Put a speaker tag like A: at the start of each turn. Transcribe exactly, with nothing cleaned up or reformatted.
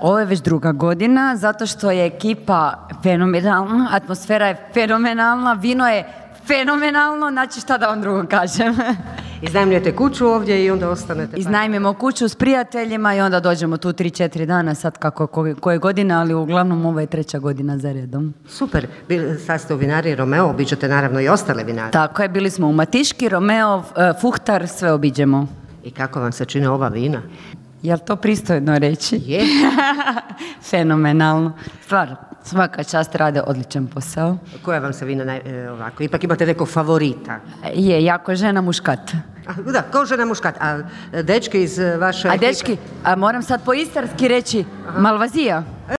A: ovo je već druga godina, zato što je ekipa fenomenalna, atmosfera je fenomenalna, vino je fenomenalno, znači šta da vam drugo kažem.
B: Iznajmljujete kuću ovdje i onda ostanete?
A: Iznajmimo kuću s prijateljima i onda dođemo tu tri četiri dana, sad kako koje, koje godine, ali uglavnom ovo je treća godina za redom.
B: Super, sad ste u vinari Romeo, obiđete naravno i ostale vinare.
A: Tako je, bili smo u Matiški, Romeo, Fuhtar, sve obiđemo.
B: I kako vam se čine ova vina?
A: Jel to pristojno reći?
B: Je.
A: Fenomenalno. Stvar, svaka čast, rade odličan posao.
B: Koja vam se vina naj, ovako? Ipak imate nekog favorita?
A: Je, jako žena muškat.
B: A, da, kao žena muškat. A dečki iz vaše
A: A
B: ekipe?
A: dečki, a moram sad po istarski reći, Malvazija.